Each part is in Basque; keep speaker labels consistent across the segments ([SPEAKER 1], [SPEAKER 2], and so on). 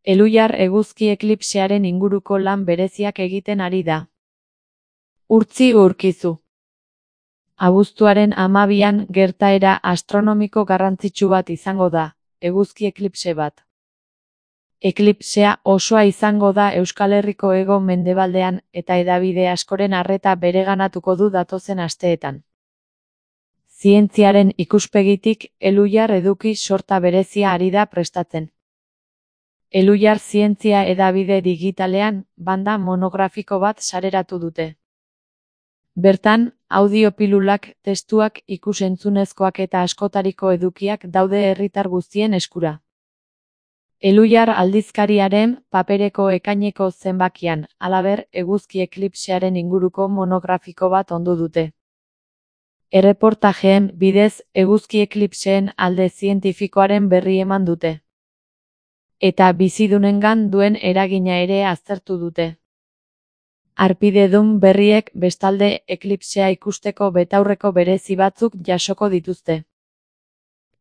[SPEAKER 1] Elhuyar eguzki eklipsearen inguruko lan bereziak egiten ari da. Urtzi urkizu. Abuztuaren 12an gertaera astronomiko garrantzitsu bat izango da, eguzki eklipse bat. Eklipsea osoa izango da Euskal Herriko hego-mendebaldean eta hedabide askoren arreta bereganatuko du datozen asteetan. Zientziaren ikuspegitik, Elhuyar eduki sorta berezia ari da prestatzen. Elhuyar zientzia hedabide digitalean, banda monografiko bat sareratu dute. Bertan, audiopilulak, testuak, ikus-entzunezkoak eta askotariko edukiak daude herritar guztien eskura. Elhuyar aldizkariaren papereko ekaineko zenbakian, halaber, eguzki eklipsearen inguruko monografiko bat ondu dute. Erreportajeen bidez, eguzki eklipseen alde zientifikoaren berri eman dute. Eta bizidunengan duen eragina ere aztertu dute. Harpidedun berriek bestalde eklipsea ikusteko betaurreko berezi batzuk jasoko dituzte.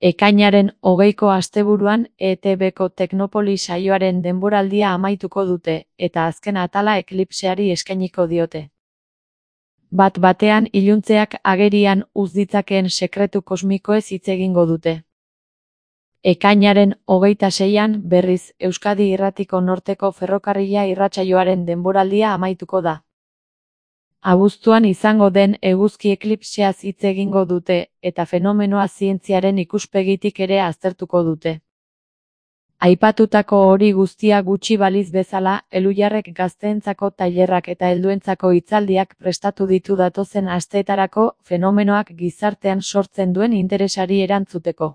[SPEAKER 1] Ekainaren 20ko asteburuan ETB-ko Teknopoli saioaren denboraldia amaituko dute, eta azken atala eklipseari eskainiko diote. Bat-batean iluntzeak agerian uz ditzakeen sekretu kosmikoez hitz egingo dute. Ekainaren 26an, berriz, Euskadi Irratiko Norteko Ferrokarrila irratsaioaren denboraldia amaituko da. Abuztuan izango den eguzki eklipseaz hitz egingo dute, eta fenomenoa zientziaren ikuspegitik ere aztertuko dute. Aipatutako hori guztia gutxi baliz bezala, Elhuyarrek gazteentzako tailerrak eta helduentzako hitzaldiak prestatu ditu datozen asteetarako fenomenoak gizartean sortzen duen interesari erantzuteko.